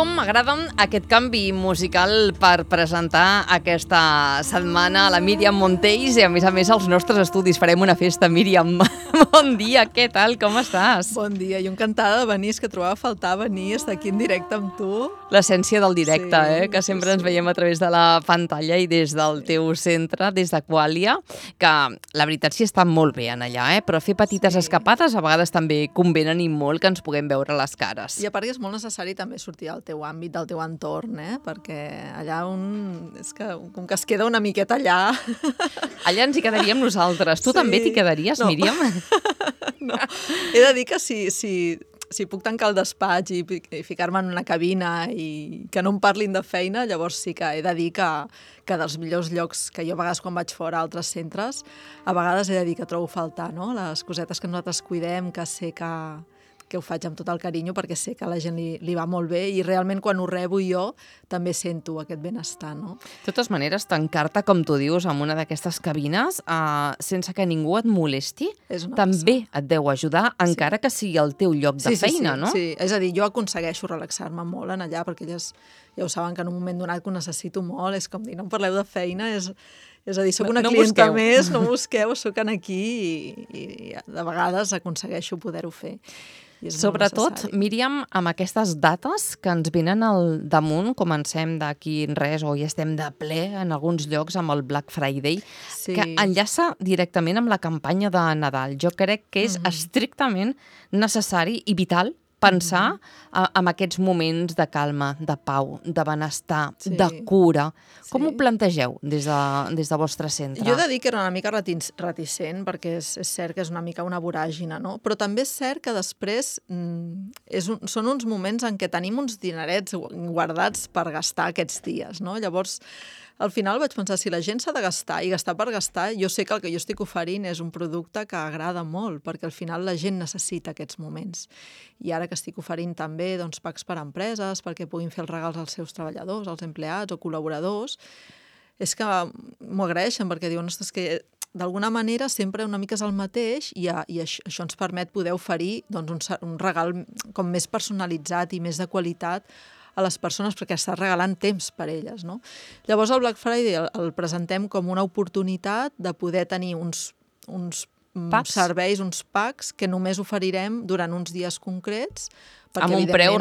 Com m'agrada aquest canvi musical per presentar aquesta setmana a la Míriam Montells i, a més, als nostres estudis. Farem una festa, Míriam. Bon dia, què tal? Com estàs? Bon dia, jo encantada de venir, és que trobava a faltar venir, estar aquí en directe amb tu. L'essència del directe, sí, que sempre ens veiem a través de la pantalla i des del teu centre, des d'Aquàlia, que la veritat sí està molt bé en allà, però fer petites escapades a vegades també convenen i molt que ens puguem veure les cares. I a part que és molt necessari també sortir del teu àmbit, del teu entorn, perquè allà és que com que es queda una miqueta allà... Allà ens hi quedaríem nosaltres. Tu també t'hi quedaries, no. Míriam? No, he de dir que si puc tancar el despatx i ficar-me en una cabina i que no em parlin de feina, llavors sí que he de dir que dels millors llocs que jo a vegades quan vaig fora a altres centres, a vegades he de dir que trobo a faltar, no? Les cosetes que nosaltres cuidem, que sé que ho faig amb tot el carinyo perquè sé que a la gent li va molt bé i realment quan ho rebo jo també sento aquest benestar, no? De totes maneres, tancar-te, com tu dius, en una d'aquestes cabines sense que ningú et molesti, també et deu ajudar, encara que sigui el teu lloc de feina, no? Sí, és a dir, jo aconsegueixo relaxar-me molt en allà perquè elles ja ho saben que en un moment donat que ho necessito molt, és com dir, no em parleu de feina, és a dir, soc una clienta més, no busqueu, soc aquí i de vegades aconsegueixo poder-ho fer. Sobretot, Míriam, amb aquestes dates que ens venen al damunt, comencem d'aquí res o ja estem de ple en alguns llocs amb el Black Friday, que enllaça directament amb la campanya de Nadal. Jo crec que és estrictament necessari i vital pensar en aquests moments de calma, de pau, de benestar, de cura. Com ho plantegeu des del vostre centre? Jo he de dir que era una mica reticent, perquè és cert que és una mica una voràgina, no? Però també és cert que després són uns moments en què tenim uns dinerets guardats per gastar aquests dies, no? Llavors, al final vaig pensar, si la gent s'ha de gastar i gastar per gastar, jo sé que el que jo estic oferint és un producte que agrada molt, perquè al final la gent necessita aquests moments. I ara que estic oferint també packs per a empreses, perquè puguin fer els regals als seus treballadors, als empleats o col·laboradors, és que m'ho agraeixen, perquè diuen, ostres, que d'alguna manera sempre una mica és el mateix i això ens permet poder oferir un regal com més personalitzat i més de qualitat a les persones, perquè estàs regalant temps per elles, no? Llavors el Black Friday el presentem com una oportunitat de poder tenir uns serveis, uns packs que només oferirem durant uns dies concrets. Amb un preu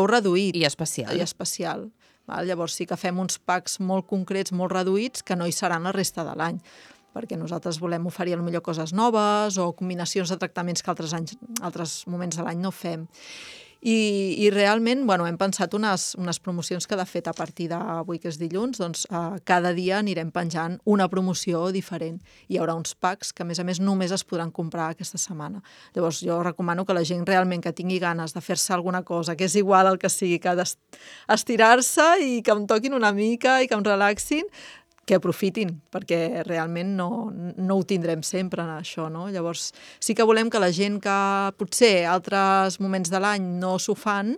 reduït i especial. Llavors sí que fem uns packs molt concrets, molt reduïts, que no hi seran la resta de l'any, perquè nosaltres volem oferir potser coses noves o combinacions de tractaments que altres moments de l'any no fem. I realment hem pensat unes promocions que, de fet, a partir d'avui, que és dilluns, cada dia anirem penjant una promoció diferent. Hi haurà uns packs que, a més, només es podran comprar aquesta setmana. Llavors, jo recomano que la gent realment que tingui ganes de fer-se alguna cosa, que és igual el que sigui, que d'estirar-se i que em toquin una mica i que em relaxin, que aprofitin, perquè realment no ho tindrem sempre, això, no? Llavors, sí que volem que la gent que potser altres moments de l'any no s'ho fan,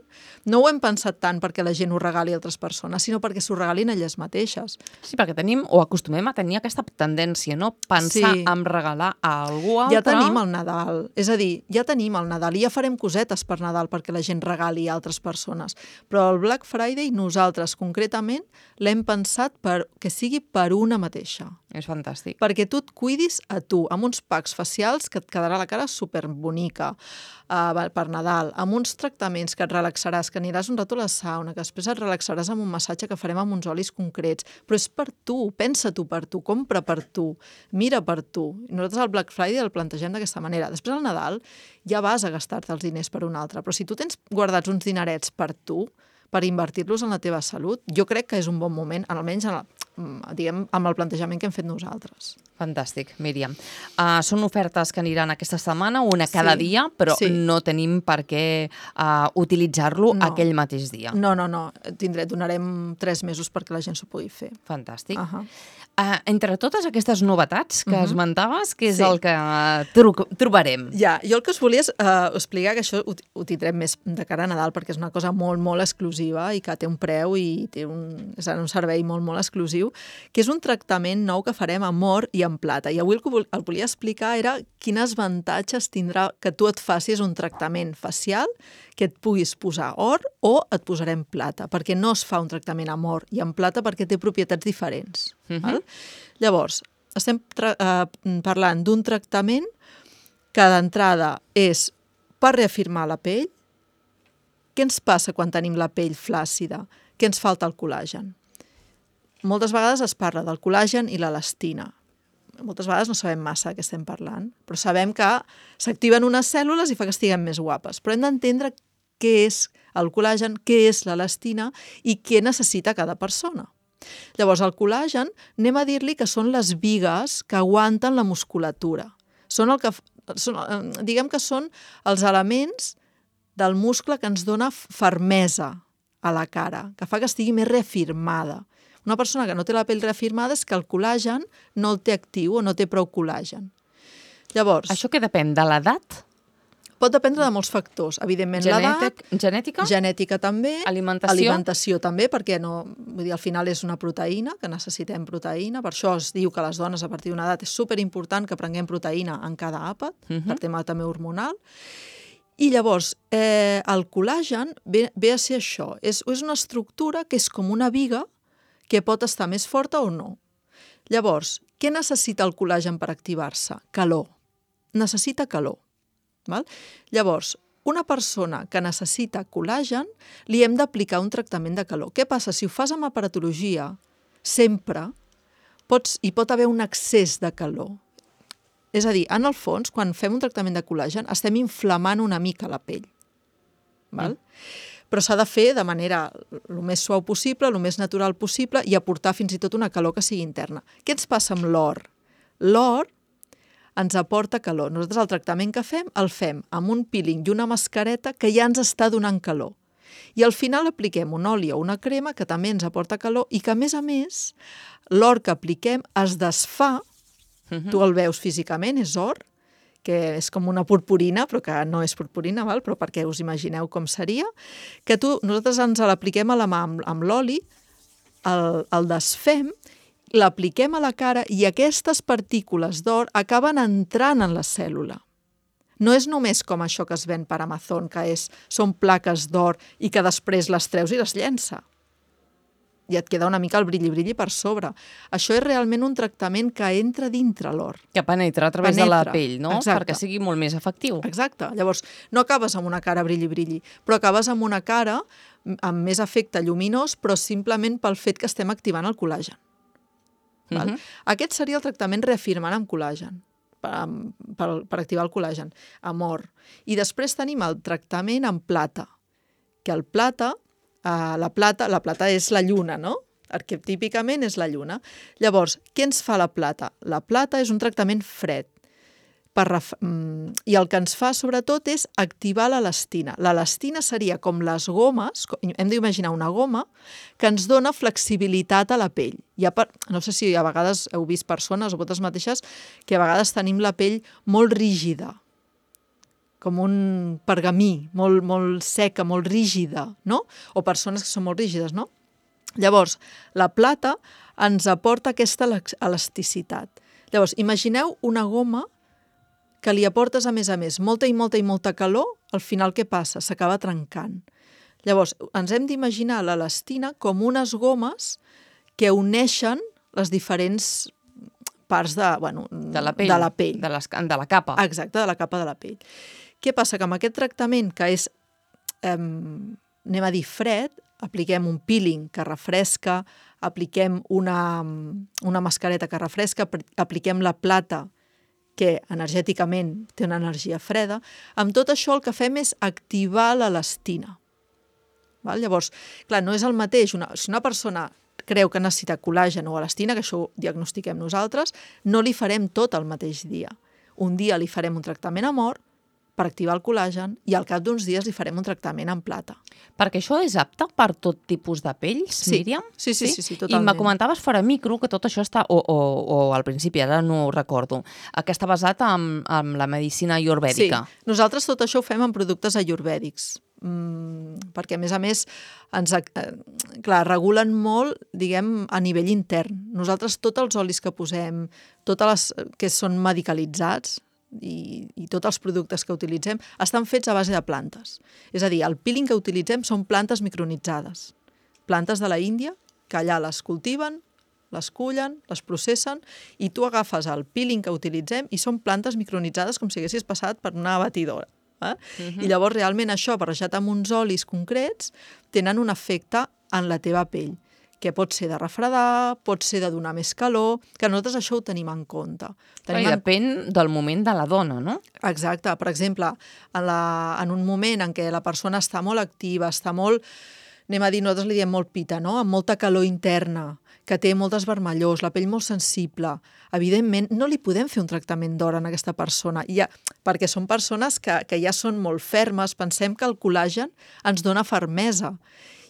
no ho hem pensat tant perquè la gent ho regali a altres persones, sinó perquè s'ho regalin elles mateixes. Sí, perquè acostumem a tenir aquesta tendència, no? Pensar en regalar a algú altre. Ja tenim el Nadal, és a dir, ja tenim el Nadal i ja farem cosetes per Nadal perquè la gent regali a altres persones. Però el Black Friday nosaltres concretament l'hem pensat que sigui per una mateixa. És fantàstic. Perquè tu et cuidis a tu, amb uns packs facials que et quedarà la cara superbonica per Nadal, amb uns tractaments que et relaxaràs, que aniràs un rato a la sauna, que després et relaxaràs amb un massatge que farem amb uns olis concrets, però és per tu, pensa tu per tu, compra per tu, mira per tu. I nosaltres el Black Friday el plantegem d'aquesta manera. Després al Nadal ja vas a gastar-te els diners per un altre, però si tu tens guardats uns dinerets per tu, per invertir-los en la teva salut, jo crec que és un bon moment, almenys amb el plantejament que hem fet nosaltres. Fantàstic, Míriam. Són ofertes que aniran aquesta setmana, una cada dia, però no tenim per què utilitzar-lo aquell mateix dia. No. Donarem 3 mesos perquè la gent s'ho pugui fer. Fantàstic. Entre totes aquestes novetats que esmentaves, què és el que trobarem? Ja, jo el que us volia és explicar que això ho tindrem més de cara a Nadal, perquè és una cosa molt, molt exclusiva i que té un preu i té un servei molt, molt exclusiu, que és un tractament nou que farem amor i en plata. I avui el que el volia explicar era quines avantatges tindrà que tu et facis un tractament facial, que et puguis posar or o et posarem plata, perquè no es fa un tractament amb or i amb plata perquè té propietats diferents. Val? Llavors, estem parlant d'un tractament que d'entrada és per reafirmar la pell. Què ens passa quan tenim la pell flàcida? Què ens falta el col·làgen? Moltes vegades es parla del col·làgen i l'elastina. Moltes vegades no sabem massa de què estem parlant, però sabem que s'activen unes cèl·lules i fa que estiguem més guapes. Però hem d'entendre què és el col·làgen, què és l'elastina i què necessita cada persona. Llavors, el col·làgen, anem a dir-li que són les bigues que aguanten la musculatura. Diguem que són els elements del muscle que ens dona fermesa a la cara, que fa que estigui més reafirmada. Una persona que no té la pell reafirmada és que el col·làgen no el té actiu o no té prou col·làgen. Llavors, això què depèn? De l'edat? Pot dependre de molts factors. Evidentment, l'edat, genètica? Genètica també, alimentació també, perquè al final és una proteïna, que necessitem proteïna. Per això es diu que les dones a partir d'una edat és superimportant que prenguem proteïna en cada àpat, per tema també hormonal. I llavors, el col·làgen ve a ser això. És una estructura que és com una biga que pot estar més forta o no. Llavors, què necessita el col·làgen per activar-se? Calor. Necessita calor. Val? Llavors, una persona que necessita col·làgen li hem d'aplicar un tractament de calor. Què passa? Si ho fas amb aparatologia, sempre hi pot haver un excés de calor. És a dir, en el fons, quan fem un tractament de col·làgen, estem inflamant una mica la pell. Val? Però s'ha de fer de manera el més suau possible, el més natural possible i aportar fins i tot una calor que sigui interna. Què ens passa amb l'or? L'or ens aporta calor. Nosaltres el tractament que fem el fem amb un peeling i una mascareta que ja ens està donant calor. I al final apliquem un oli o una crema que també ens aporta calor i que, a més, l'or que apliquem es desfà. Tu el veus físicament, és or, que és com una purpurina, però que no és purpurina, val? Però perquè us imagineu com seria, que nosaltres ens l'apliquem a la mà amb l'oli, el desfem, l'apliquem a la cara i aquestes partícules d'or acaben entrant en la cèl·lula. No és només com això que es ven per Amazon, que són plaques d'or i que després les treus i les llença. I et queda una mica el brilli per sobre. Això és realment un tractament que entra dintre l'or. Que penetra a través de la pell, no? Exacte. Perquè sigui molt més efectiu. Exacte. Llavors, no acabes amb una cara brilli, però acabes amb una cara amb més efecte lluminós, però simplement pel fet que estem activant el col·làgen. Val? Aquest seria el tractament reafirmant amb col·làgen, per activar el col·làgen, amb or. I després tenim el tractament amb plata, que el plata, la plata és la lluna, no? Arquetípicament és la lluna. Llavors, què ens fa la plata? La plata és un tractament fred. I el que ens fa, sobretot, és activar l'elastina. L'elastina seria com les gomes, hem d'imaginar una goma, que ens dona flexibilitat a la pell. No sé si a vegades heu vist persones, o vosaltres mateixes, que a vegades tenim la pell molt rígida, com un pergamí, molt seca, molt rígida, no? O persones que són molt rígides, no? Llavors, la plata ens aporta aquesta elasticitat. Llavors, imagineu una goma que li aportes, a més, molta i molta calor, al final què passa? S'acaba trencant. Llavors, ens hem d'imaginar l'elastina com unes gomes que uneixen les diferents parts de la pell. De la capa. Exacte, de la capa de la pell. Què passa? Que amb aquest tractament, que és, anem a dir, fred, apliquem un peeling que refresca, apliquem una mascareta que refresca, apliquem la plata, que energèticament té una energia freda. Amb tot això el que fem és activar l'elastina. Llavors, clar, no és el mateix. Si una persona creu que necessita col·làgen o elastina, que això ho diagnostiquem nosaltres, no li farem tot el mateix dia. Un dia li farem un tractament amb or per activar el col·làgen i al cap d'uns dies li farem un tractament en plata. Perquè això és apte per tot tipus de pells, Míriam? Sí, totalment. I me comentaves fora micro que tot això està, o al principi, ara no ho recordo, que està basat en la medicina ayurvèdica. Sí, nosaltres tot això ho fem amb productes ayurvèdics. perquè, a més, regulen molt, diguem, a nivell intern. Nosaltres, tots els olis que posem, totes les que són medicalitzats, i tots els productes que utilitzem estan fets a base de plantes. És a dir, el peeling que utilitzem són plantes micronitzades. Plantes de la Índia, que allà les cultiven, les cullen, les processen, i tu agafes el peeling que utilitzem i són plantes micronitzades com si haguessis passat per una batidora. I llavors realment això, barrejat amb uns olis concrets, tenen un efecte en la teva pell, que pot ser de refredar, pot ser de donar més calor, que nosaltres això ho tenim en compte. Depèn del moment de la dona, no? Exacte. Per exemple, en un moment en què la persona està molt activa, està molt, anem a dir, nosaltres li diem molt pita, no? Amb molta calor interna, que té moltes vermellors, la pell molt sensible, evidentment no li podem fer un tractament d'hora a aquesta persona, perquè són persones que ja són molt fermes, pensem que el col·làgen ens dona fermesa.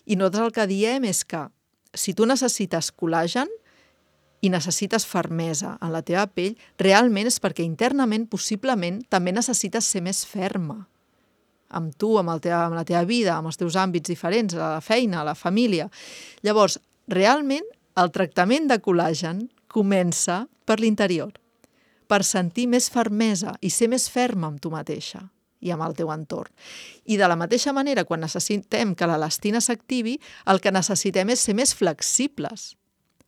I nosaltres el que diem és que si tu necessites col·làgen i necessites fermesa en la teva pell, realment és perquè internament, possiblement, també necessites ser més ferma amb tu, amb la teva vida, amb els teus àmbits diferents, a la feina, a la família. Llavors, realment, el tractament de col·làgen comença per l'interior, per sentir més fermesa i ser més ferma amb tu mateixa i amb el teu entorn. I de la mateixa manera, quan necessitem que l'elastina s'activi, el que necessitem és ser més flexibles,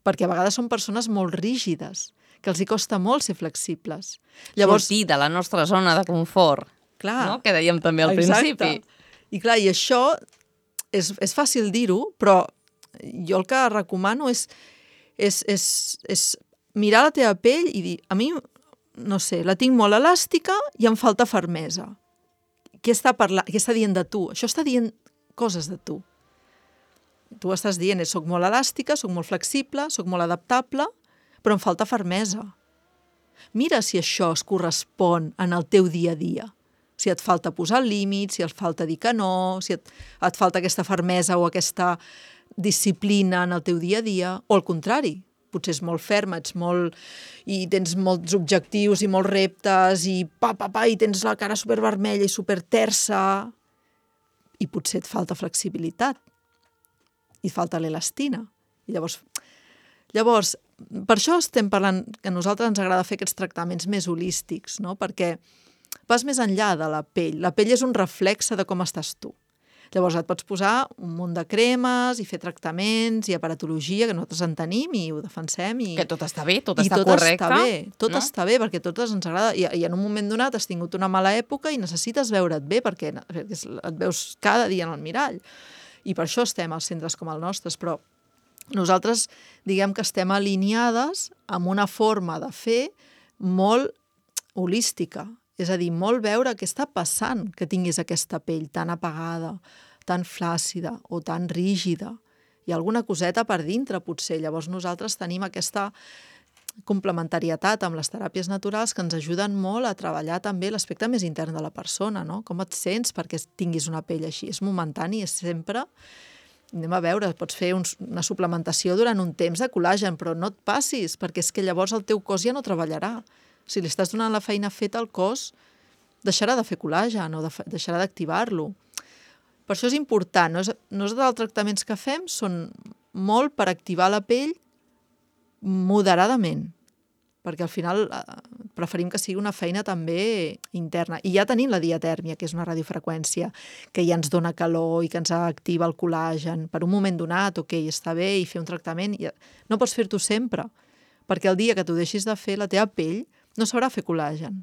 perquè a vegades són persones molt rígides, que els hi costa molt ser flexibles. Sortir de la nostra zona de confort, no? Que dèiem també al principi. I clar, i això és fàcil dir-ho, però jo el que recomano és mirar la teva pell i dir, a mi, no sé, la tinc molt elàstica i em falta fermesa. Què està dient de tu? Això està dient coses de tu. Tu estàs dient, soc molt elàstica, soc molt flexible, soc molt adaptable, però em falta fermesa. Mira si això es correspon en el teu dia a dia. Si et falta posar límits, si et falta dir que no, si et falta aquesta fermesa o aquesta disciplina en el teu dia a dia, o al contrari, potser és molt ferma, i tens molts objectius i molts reptes i i tens la cara supervermella i supertersa i potser et falta flexibilitat i et falta l'elastina. I llavors, per això estem parlant que a nosaltres ens agrada fer aquests tractaments més holístics, no? Perquè vas més enllà de la pell. La pell és un reflexe de com estàs tu. Llavors et pots posar un munt de cremes i fer tractaments i aparatologia, que nosaltres en tenim i ho defensem. Que tot està bé, tot està correcte. Tot està bé, perquè a totes ens agrada. I en un moment donat has tingut una mala època i necessites veure't bé, perquè et veus cada dia en el mirall. I per això estem als centres com el nostre, però nosaltres diguem que estem alineades amb una forma de fer molt holística. És a dir, molt veure què està passant que tinguis aquesta pell tan apagada, tan flàcida o tan rígida. Hi ha alguna coseta per dintre, potser. Llavors nosaltres tenim aquesta complementarietat amb les teràpies naturals que ens ajuden molt a treballar també l'aspecte més intern de la persona, no? Com et sents perquè tinguis una pell així? És momentani, és sempre... Anem a veure, pots fer una suplementació durant un temps de col·làgen, però no et passis, perquè és que llavors el teu cos ja no treballarà. Si li estàs donant la feina feta al cos, deixarà de fer col·làgen o deixarà d'activar-lo. Per això és important. Nosaltres els tractaments que fem són molt per activar la pell moderadament, perquè al final preferim que sigui una feina també interna. I ja tenim la diatèrmia, que és una radiofreqüència que ja ens dona calor i que ens activa el col·làgen. Per un moment donat, està bé, i fer un tractament... No pots fer-t'ho sempre, perquè el dia que t'ho deixis de fer, la teva pell no sabrà fer col·làgen.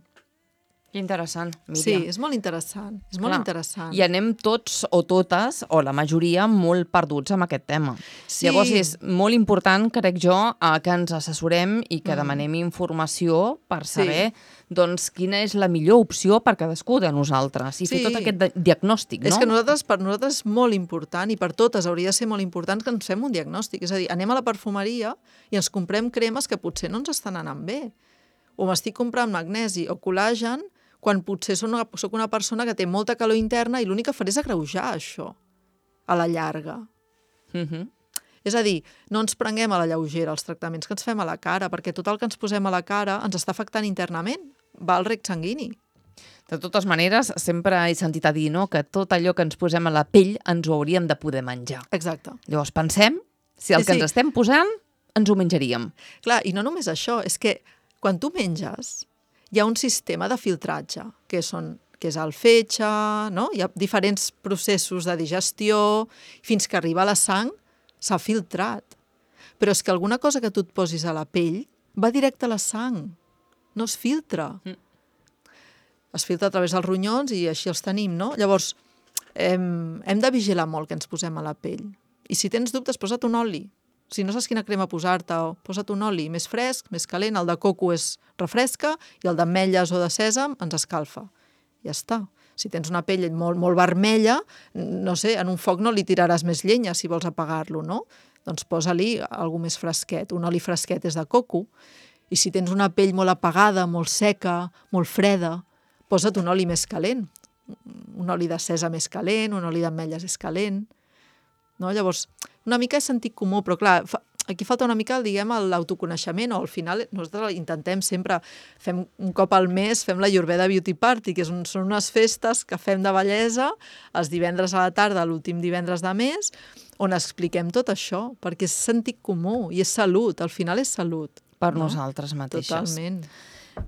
Que interessant, Míriam. Sí, és molt interessant. És molt interessant. I anem tots o totes, o la majoria, molt perduts amb aquest tema. Sí. Llavors és molt important, crec jo, que ens assessorem i que demanem informació per saber doncs, quina és la millor opció per cadascú de nosaltres i fer tot aquest diagnòstic, no? És que per nosaltres és molt important i per totes hauria de ser molt important que ens fem un diagnòstic. És a dir, anem a la perfumeria i ens comprem cremes que potser no ens estan anant bé. O m'estic comprant magnesi o col·làgen quan potser soc una persona que té molta calor interna i l'únic que faré és agreujar això a la llarga. És a dir, no ens prenguem a la lleugera els tractaments que ens fem a la cara, perquè tot el que ens posem a la cara ens està afectant internament, va al rec sanguini. De totes maneres, sempre he sentit a dir, no?, que tot allò que ens posem a la pell ens ho hauríem de poder menjar. Exacte. Llavors pensem si el que ens estem posant ens ho menjaríem. Clar, i no només això, és que quan tu menges hi ha un sistema de filtratge, que és el fetge, no? Hi ha diferents processos de digestió, fins que arriba a la sang, s'ha filtrat. Però és que alguna cosa que tu et posis a la pell va directe a la sang, no es filtra. Es filtra a través dels ronyons i així els tenim, no? Llavors, hem de vigilar molt que ens posem a la pell. I si tens dubtes, posa't un oli. Si no saps quina crema posar-te, posa't un oli més fresc, més calent, el de coco refresca i el d'ametlles o de sèsam ens escalfa. Ja està. Si tens una pell molt, molt vermella, no sé, en un foc no li tiraràs més llenya si vols apagar-lo, no? Doncs posa-li alguna més fresquet. Un oli fresquet és de coco. I si tens una pell molt apagada, molt seca, molt freda, posa't un oli més calent. Un oli de sèsam més calent, un oli d'ametlles és calent. No? Llavors, una mica és sentit comú, però clar, aquí falta una mica, diguem, l'autoconeixement, o al final nosaltres intentem sempre, fem un cop al mes, fem la Ayurveda Beauty Party, que són unes festes que fem de bellesa els divendres a la tarda, l'últim divendres de mes, on expliquem tot això, perquè és sentit comú i és salut, al final és salut. Per nosaltres mateixes. Totalment.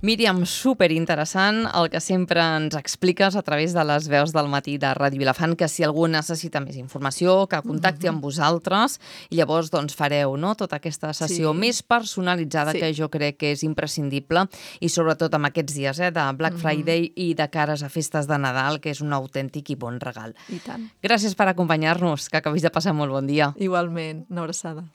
Míriam, superinteressant el que sempre ens expliques a través de les veus del matí de Ràdio Vilafant, que si algú necessita més informació, que contacti amb vosaltres i llavors doncs, fareu tota aquesta sessió més personalitzada que jo crec que és imprescindible i sobretot amb aquests dies de Black Friday i de cares a festes de Nadal, que és un autèntic i bon regal. I tant. Gràcies per acompanyar-nos, que acabis de passar molt bon dia. Igualment, una abraçada.